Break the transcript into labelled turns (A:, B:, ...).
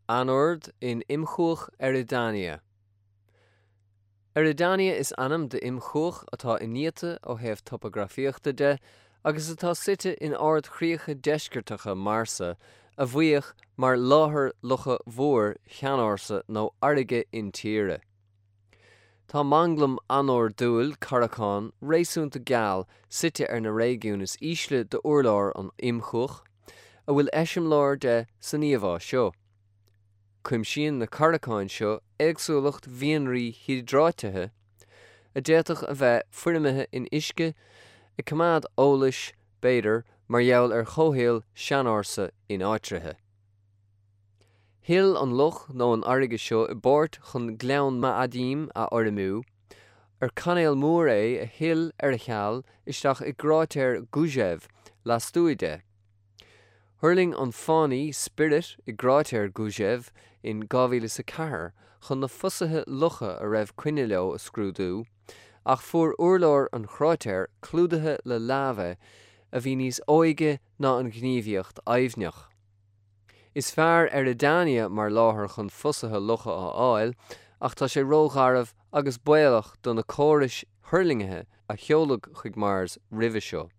A: Anord in Imchuach Eridania. Eridania is ainm d'imchuach atá iniata ó thaobh topagrafaíochta de agus atá suite in ardchríocha deisceartacha Marsa a bhíodh mar láthair locha mhóir sheanársa nó fharraige intíre. Tá manglam anordúil carracán réasúnta geal suite ar na réigiúin is ísle d'urlár an imchuach, a bhfuil eiseamláir de san íomhá seo. Cuimsíonn na carracáin seo éagsúlacht mhianraí hiodráitithe, a d'fhéadfadh a bheith foirmithe in uisce, ag coimeád eolais, b'fhéidir, mar gheall ar chomhshaol seanársa ináitrithe. Shil an loch nó an fharraige seo i bpáirt chun Gleann Ma'adim a fhoirmiú, ar cainéal mór é a shil ar a sheal isteach i gcráitéar Gusev lastuaidh de. Thuirling an fánaí Spirit i gcráitéar Gusev in 2004 chun na fosuithe locha a raibh coinne leo a scrúdú, ach fuair urlár an chráitéir clúdaithe le láibe a bhí níos óige ná an ghníomhaíocht aibhneach. Is fearr Eridania mar láthair chun fosuithe locha a fháil, ach tá sé rógharbh agus baolach do na córais thuirlingthe a sheoladh chuig Mars roimhe seo.